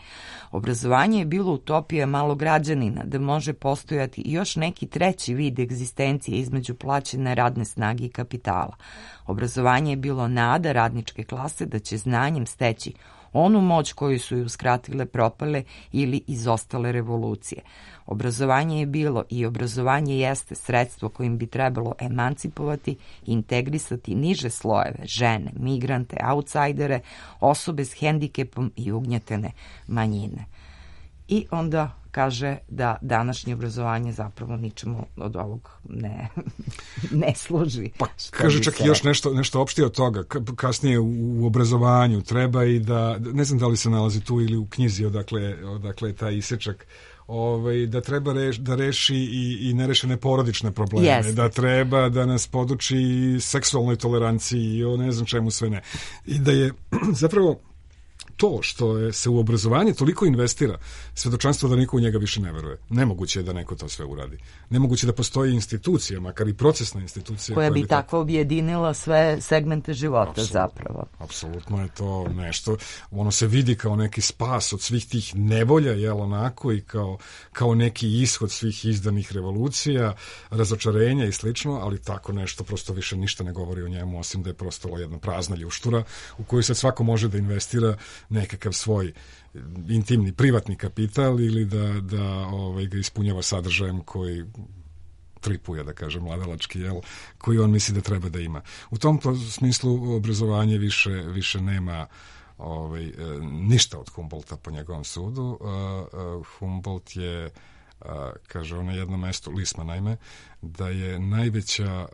Obrazovanje je bilo utopija malog građanina da može postojati još neki treći vid egzistencije između plaćene radne snage i kapitala. Obrazovanje je bilo nada radničke klase da će znanjem steći onu moć koju su ju uskratile propale ili izostale revolucije. Obrazovanje je bilo i obrazovanje jeste sredstvo kojim bi trebalo emancipovati i integrisati niže slojeve, žene, migrante, autsajdere, osobe s hendikepom i ugnjetene manjine. I onda kaže da današnje obrazovanje zapravo ničemu od ovog ne služi. Pa kaže čak i još nešto opštije od toga. Kasnije u obrazovanju treba i da, ne znam da li se nalazi tu ili u knjizi odakle je taj isečak, da treba da reši i nerešene porodične probleme, Yes. Da treba da nas poduči seksualnoj toleranciji i o ne znam čemu sve ne. I da je zapravo to što se u obrazovanje toliko investira, svedočanstvo da niko u njega više ne veruje. Nemoguće je da neko to sve uradi. Nemoguće da postoji institucija, makar i procesna institucija. Koja bi tako objedinila sve segmente života zapravo. Apsolutno je to nešto. Ono se vidi kao neki spas od svih tih nevolja, jel onako, i kao neki ishod svih izdanih revolucija, razočarenja i slično, ali tako nešto prosto više ništa ne govori o njemu, osim da je prosto jedna prazna ljuštura u koju sad svako može da investira nekakav svoj intimni, privatni kapital ili da ga ispunjava sadržajem koji tripuje, da kažem, mladalački, koji on misli da treba da ima. U tom smislu obrazovanje više nema ništa od Humboldta po njegovom sudu. Humboldt je, kaže on na jednom mestu, Lisma naime, da je najveća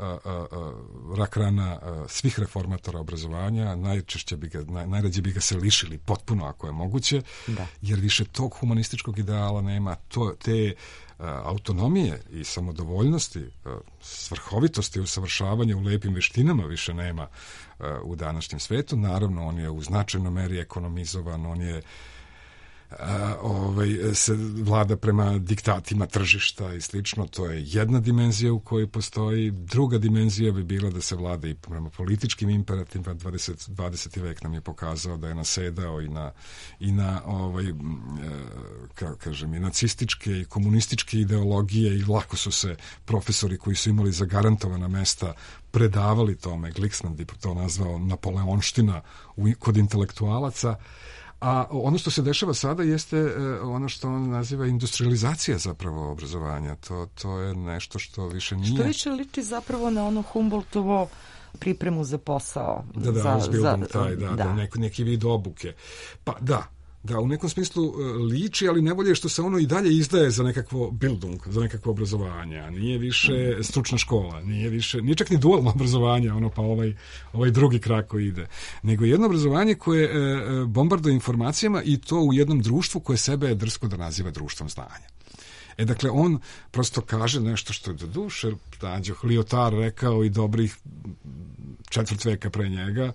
rak rana svih reformatora obrazovanja, najrađe bi ga se lišili potpuno ako je moguće, jer više tog humanističkog ideala nema, te autonomije i samodovoljnosti, svrhovitosti i usavršavanja u lepim veštinama više nema u današnjem svetu. Naravno, on je u značajnoj meri ekonomizovan, on je se vlada prema diktatima tržišta i slično, to je jedna dimenzija u kojoj postoji. Druga dimenzija bi bila da se vlada i prema političkim imperativima. 20. vek nam je pokazao da je nasedao i na kažem, i nacističke i komunističke ideologije, i lako su se profesori koji su imali zagarantovana mesta predavali tome. Glicksman bi to nazvao napoleonština kod intelektualaca. A ono što se dešava sada jeste ono što on naziva industrializacija zapravo obrazovanja. To je nešto što više nije... Što više liči zapravo na ono Humboldtovo pripremu za posao. Neki vid obuke. Pa da, u nekom smislu liči, ali ne bolje što se ono i dalje izdaje za nekakvo Bildung, za nekakvo obrazovanje. Nije više stručna škola, nije čak ni dualno obrazovanje, pa ovaj drugi krak koji ide. Nego jedno obrazovanje koje bombarduje informacijama, i to u jednom društvu koje sebe drsko da naziva društvom znanja. Dakle, on prosto kaže nešto što je do duše, Lyotard rekao i dobrih 4 veka pre njega,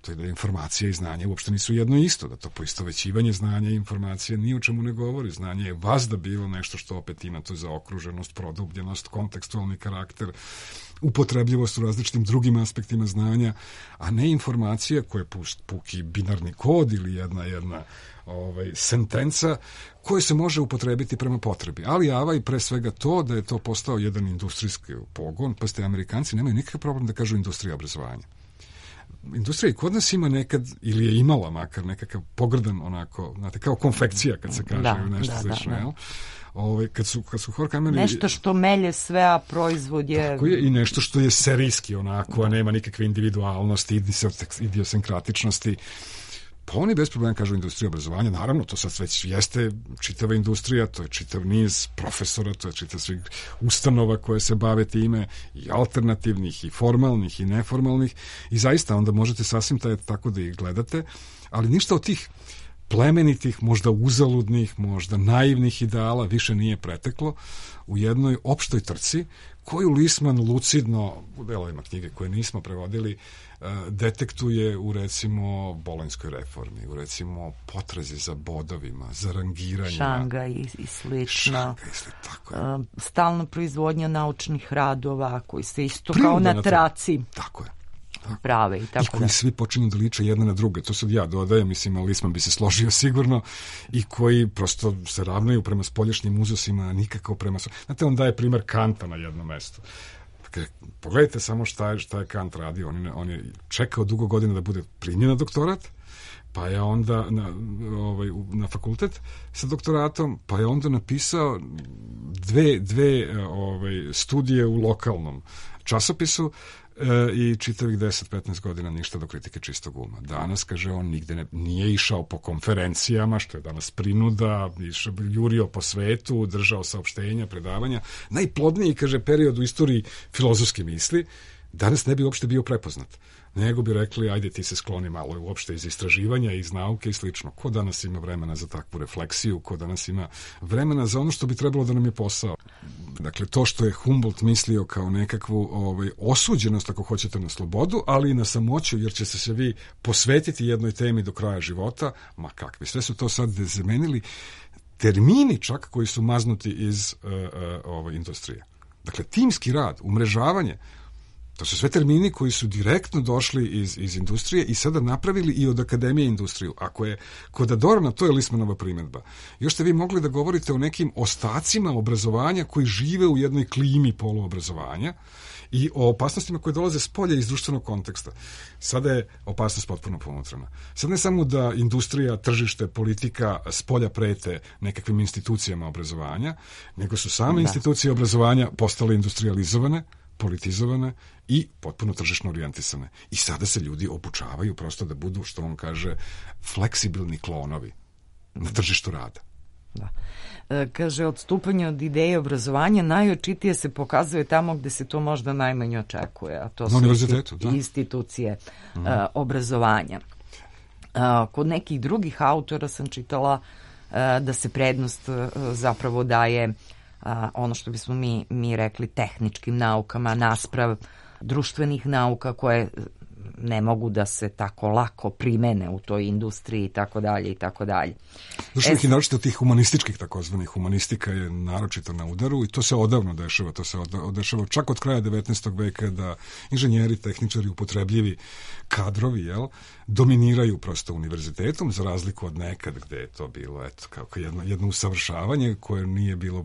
to je da informacija i znanje uopšte nisu jedno isto, da to poistovećivanje znanja i informacije ni o čemu ne govori. Znanje je vazda bilo nešto što opet ima to zaokruženost, produbljenost, kontekstualni karakter, upotrebljivost u različitim drugim aspektima znanja, a ne informacija koja je puki binarni kod ili jedna sentenca koja se može upotrebiti prema potrebi. Ali i pre svega to da je to postao jedan industrijski pogon, pa ste Amerikanci nemaju nikakav problem da kažu industrija obrazovanja. Industrija i kod nas ima nekad, ili je imala makar nekakav pogrdan onako, znate, kao konfekcija kad se kaže nešto slično, jel? Kad su Horkheimer... Nešto što melje sve, a proizvod je... Tako je, i nešto što je serijski onako, a nema nikakve individualnosti, idiosenkratičnosti. Pa oni bez problema kažu industrija obrazovanja, naravno, to sad već jeste čitava industrija, to je čitav niz profesora, to je čitav svih ustanova koje se bave time, i alternativnih, i formalnih, i neformalnih, i zaista onda možete sasvim tako da ih gledate, ali ništa od tih plemenitih, možda uzaludnih, možda naivnih ideala više nije preteklo u jednoj opštoj trci koju Lisman lucidno, u delovima knjige koje nismo prevodili, detektuje u, recimo, Bolonjskoj reformi, u, recimo, potrazi za bodovima, za rangiranjima. Šangaj i slično. Tako je. Stalna proizvodnja naučnih radova koji se isto kao na traci. Tako je. Prave i tako. I koji svi počinju da liče jedne na druge. To sad ja dodajem, mislim, ali Lisman bi se složio sigurno, i koji prosto se ravnaju prema spoljašnjim uzusima, a nikako prema... Znate, on daje primer Kanta na jednom mestu. Dakle, pogledajte samo šta je Kant radio. On je čekao dugo godina da bude primljen na doktorat, pa je onda na fakultet sa doktoratom, pa je onda napisao dve studije u lokalnom časopisu i čitavih 10-15 godina ništa do kritike čistog uma. Danas, kaže on, nigde nije išao po konferencijama, što je danas prinuda, jurio po svetu, držao saopštenja, predavanja. Najplodniji, kaže, period u istoriji filozofske misli, danas ne bi uopšte bio prepoznat. Nego bi rekli, ajde ti se skloni malo uopšte iz istraživanja, iz nauke i slično. Ko danas ima vremena za takvu refleksiju, ko danas ima vremena za ono što bi trebalo da nam je posao. Dakle, to što je Humboldt mislio kao nekakvu osuđenost, ako hoćete, na slobodu, ali i na samoću, jer će se vi posvetiti jednoj temi do kraja života, ma kakvi. Sve su to sad zamenili termini čak koji su maznuti iz industrije. Dakle, timski rad, umrežavanje, to su sve termini koji su direktno došli iz industrije i sada napravili i od akademije industriju. Ako je kod Adorna, to je Lismanova primjedba. Još ste vi mogli da govorite o nekim ostacima obrazovanja koji žive u jednoj klimi poluobrazovanja i o opasnostima koje dolaze s polja iz društvenog konteksta. Sada je opasnost potpuno ponutrana. Sad ne samo da industrija, tržište, politika s polja prete nekakvim institucijama obrazovanja, nego su same institucije obrazovanja postale industrializovane, politizovane i potpuno tržišno orijentisane. I sada se ljudi obučavaju prosto da budu, što on kaže, fleksibilni klonovi na tržištu rada. Da. Kaže, odstupanje od ideje obrazovanja najočitije se pokazuje tamo gde se to možda najmanje očekuje, a to su institucije obrazovanja. Kod nekih drugih autora sam čitala da se prednost zapravo daje ono što bismo mi rekli tehničkim naukama nasprav društvenih nauka koje ne mogu da se tako lako primene u toj industriji i tako dalje i tako dalje. Društvenih i naročito tih humanističkih takozvanih. Humanistika je naročito na udaru i to se odavno dešava. To se dešava čak od kraja 19. veka da inženjeri, tehničari, upotrebljivi kadrovi, dominiraju prosto univerzitetom, za razliku od nekad gde je to bilo kako jedno usavršavanje koje nije bilo,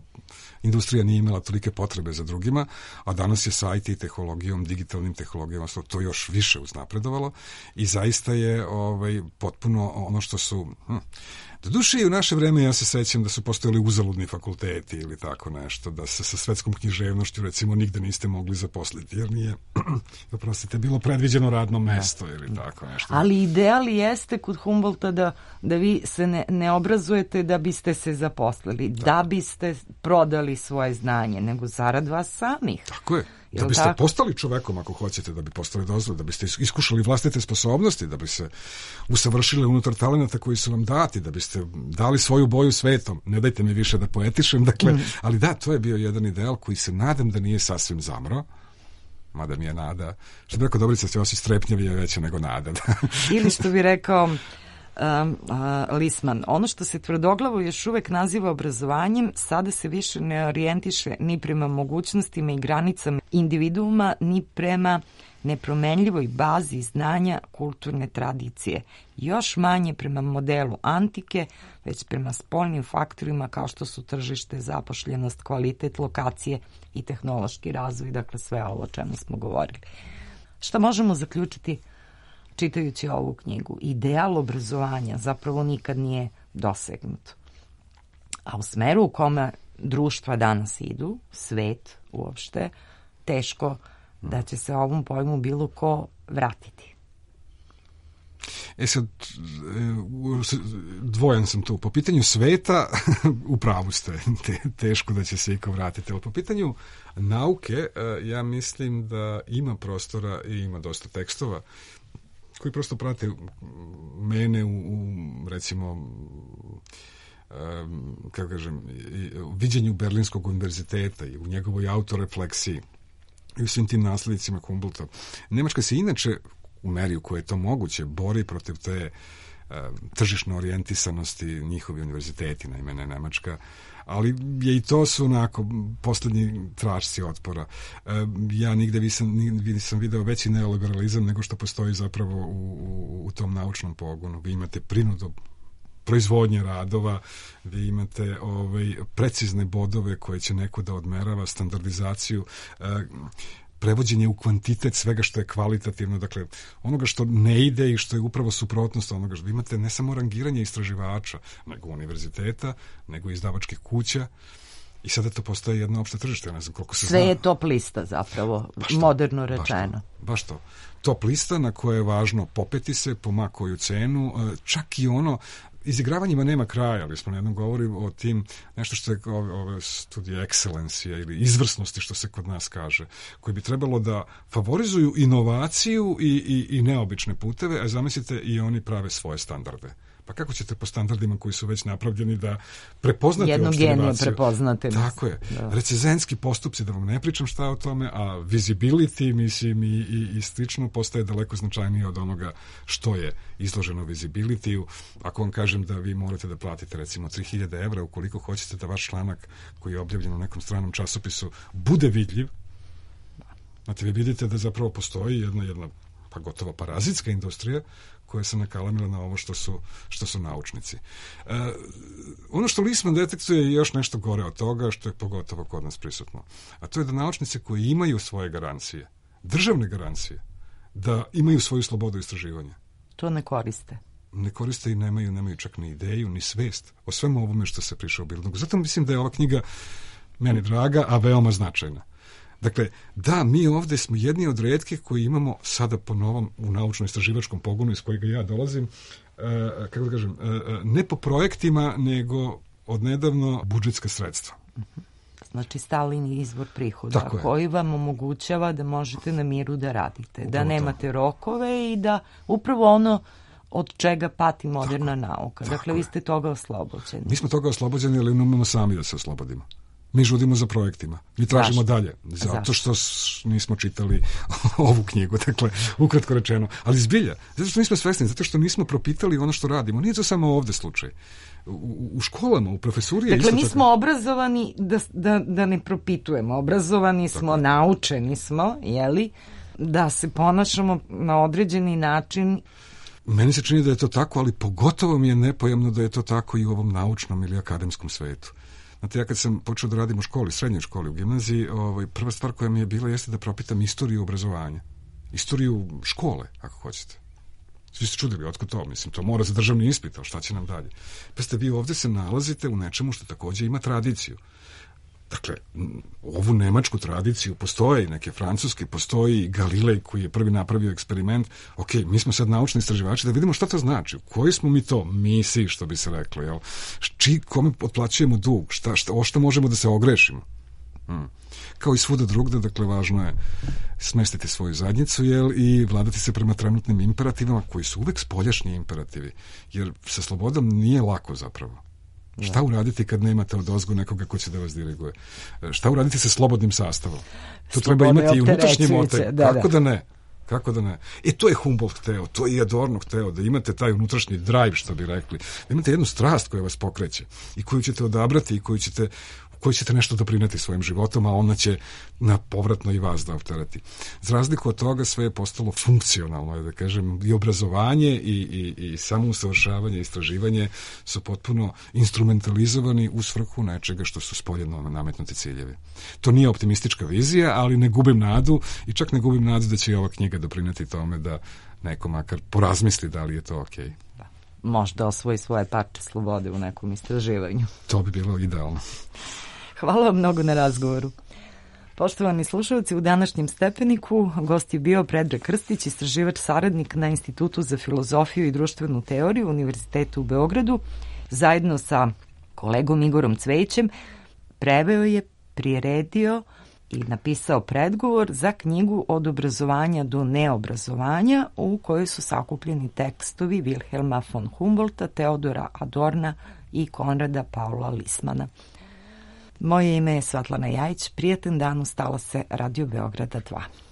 industrija nije imala tolike potrebe za drugima, a danas je sa IT tehnologijom, digitalnim tehnologijama to još više uznapredovalo i zaista je potpuno ono što su... Doduše i u naše vreme ja se sećam da su postojali uzaludni fakulteti ili tako nešto, da se sa svetskom književnošću recimo nigde niste mogli zaposliti, jer nije, oprostite, bilo predviđeno radno mesto ili tako nešto. Ali ideal jeste kod Humboldta da vi se ne obrazujete da biste se zaposlili, da biste prodali svoje znanje, nego zarad vas samih. Tako je. Da biste postali čovekom, ako hoćete, da bi postali dozvod, da biste iskušali vlastite sposobnosti, da bi se usavršili unutar talenata koji su vam dati, da biste dali svoju boju svetom. Ne dajte mi više da poetišem, dakle, ali da, to je bio jedan ideal koji se nadam da nije sasvim zamro, mada mi je nada, što bi rekao Dobrica Ćosić, strepnjevi je veća nego nada. Ili što bi rekao Lisman, ono što se tvrdoglavo još uvek naziva obrazovanjem sada se više ne orijentiše ni prema mogućnostima i granicama individuuma, ni prema nepromenljivoj bazi znanja kulturne tradicije. Još manje prema modelu antike, već prema spoljnim faktorima kao što su tržište, zapošljenost, kvalitet, lokacije i tehnološki razvoj, dakle sve ovo o čemu smo govorili. Šta možemo zaključiti čitajući ovu knjigu? Ideal obrazovanja zapravo nikad nije dosegnut. A u smeru u kome društva danas idu, svet uopšte, teško da će se ovom pojmu bilo ko vratiti. Sad, dvojan sam tu. Po pitanju sveta, u pravu ste, teško da će se iko vratiti. Ali po pitanju nauke, ja mislim da ima prostora i ima dosta tekstova koji prosto prate mene u recimo, kako kažem, viđenju Berlinskog univerziteta i u njegovoj autorefleksiji i u svim tim nasledicima Humboldta. Nemačka se inače, u meri u kojoj je to moguće, bori protiv te tržišne orijentisanosti, njihovi univerziteti, naime ne Nemačka, ali je i to su onako poslednji tražci otpora. Ja nigde nisam video veći neoliberalizam nego što postoji zapravo u tom naučnom pogonu. Vi imate prinudu proizvodnje radova, vi imate precizne bodove koje će neko da odmerava, standardizaciju, prevođenje u kvantitet svega što je kvalitativno, dakle onoga što ne ide i što je upravo suprotnost onoga što vi imate, ne samo rangiranje istraživača, nego univerziteta, nego izdavačkih kuća, i sada to postaje jedno opšte tržište. Ne znam koliko se sve zna. Je top lista zapravo, moderno rečeno. Baš to. Top lista na koje je važno popeti se po ma koju cenu, čak i ono, izigravanjima nema kraja, ali smo jednom govorili o tim, nešto što je ove studije ekscelencije ili izvrsnosti, što se kod nas kaže, koji bi trebalo da favorizuju inovaciju i neobične puteve, a zamislite i oni prave svoje standarde. Pa kako ćete po standardima koji su već napravljeni da prepoznate jednog genija prepoznate? Tako je. Da. Recenzentski postupci, da vam ne pričam šta o tome, a visibility, mislim, i slično postaje daleko značajnije od onoga što je izloženo visibility-u. Ako vam kažem da vi morate da platite recimo 3000 evra ukoliko hoćete da vaš članak koji je objavljen u nekom stranom časopisu bude vidljiv, znate, vi vidite da zapravo postoji jedna pa gotovo parazitska industrija koja se nakalamila na ovo što su naučnici. Ono što Lisman detektuje je još nešto gore od toga, što je pogotovo kod nas prisutno. A to je da naučnici koji imaju svoje garancije, državne garancije, da imaju svoju slobodu istraživanja. To ne koriste. Ne koriste i nemaju čak ni ideju, ni svest o svemu ovome što se prišao u Bildungu. Zato mislim da je ova knjiga meni draga, a veoma značajna. Dakle, da, mi ovde smo jedni od retkih koji imamo sada po novom u naučno-istraživačkom pogonu iz kojega ja dolazim, kako da kažem, ne po projektima, nego odnedavno budžetska sredstva. Znači, stalni izvor prihoda koji vam omogućava da možete na miru da radite, upravo da nemate rokove i da upravo ono od čega pati moderna nauka. Dakle, vi ste toga oslobođeni. Mi smo toga oslobođeni, ali umemo sami da se oslobodimo. Mi žudimo za projektima. Mi tražimo dalje. Zato što nismo čitali ovu knjigu. Dakle, ukratko rečeno. Ali zbilja. Zato što nismo svesni. Zato što nismo propitali ono što radimo. Nije to samo ovde slučaj. U školama, u profesuri je dakle, mi smo obrazovani da ne propitujemo. Obrazovani smo, naučeni smo, jeli, da se ponašamo na određeni način. Meni se čini da je to tako, ali pogotovo mi je nepojemno da je to tako i u ovom naučnom ili akademskom svetu. Znate, ja kad sam počeo da radim u školi, srednjoj školi, u gimnaziji, prva stvar koja mi je bila jeste da propitam istoriju obrazovanja. Istoriju škole, ako hoćete. Svi ste čudili, otko to? Mislim, to mora za državni ispit, ali šta će nam dalje? Pa ste vi ovde se nalazite u nečemu što takođe ima tradiciju. Dakle, ovu nemačku tradiciju, postoje i neke francuske, postoji i Galilej koji je prvi napravio eksperiment. Ok, mi smo sad naučni istraživači da vidimo šta to znači. Koji smo mi to misi, što bi se reklo, jel? Kome otplaćujemo dug? Što možemo da se ogrešimo? Kao i svuda drugde, dakle, važno je smestiti svoju zadnjicu, jel, i vladati se prema trenutnim imperativima koji su uvek spoljašnji imperativi. Jer sa slobodom nije lako zapravo. Šta uraditi kad nemate odozgo nekoga ko će da vas diriguje? Šta uraditi sa slobodnim sastavom? To treba imati i unutrašnji motiv. Kako da ne? To je Humboldt hteo, to je Adorno hteo, da imate taj unutrašnji drive, što bi rekli. Da imate jednu strast koja vas pokreće i koju ćete odabrati i koju ćete nešto doprineti svojim životom, a ona će na povratno i vas da opterati. Za razliku od toga sve je postalo funkcionalno, da kažem, i obrazovanje i samo usavršavanje, istraživanje su potpuno instrumentalizovani u svrhu nečega što su spoljeno nametnuti ciljevi. To nije optimistička vizija, ali ne gubim nadu i čak ne gubim nadu da će i ova knjiga doprineti tome da neko makar porazmisli da li je to okej. Možda osvoji svoje parče slobode u nekom istraživanju. To bi bilo idealno. Hvala vam mnogo na razgovoru. Poštovani slušalci, u današnjem Stepeniku gost je bio Predrag Krstić, istraživač saradnik na Institutu za filozofiju i društvenu teoriju Univerzitetu u Beogradu. Zajedno sa kolegom Igorom Cvejićem preveo je, priredio i napisao predgovor za knjigu Od obrazovanja do neobrazovanja, u kojoj su sakupljeni tekstovi Wilhelma von Humboldta, Teodora Adorna i Konrada Paula Lismana. Moje ime je Svetlana Jajić, prijatan dan, ustala se Radio Beograda 2.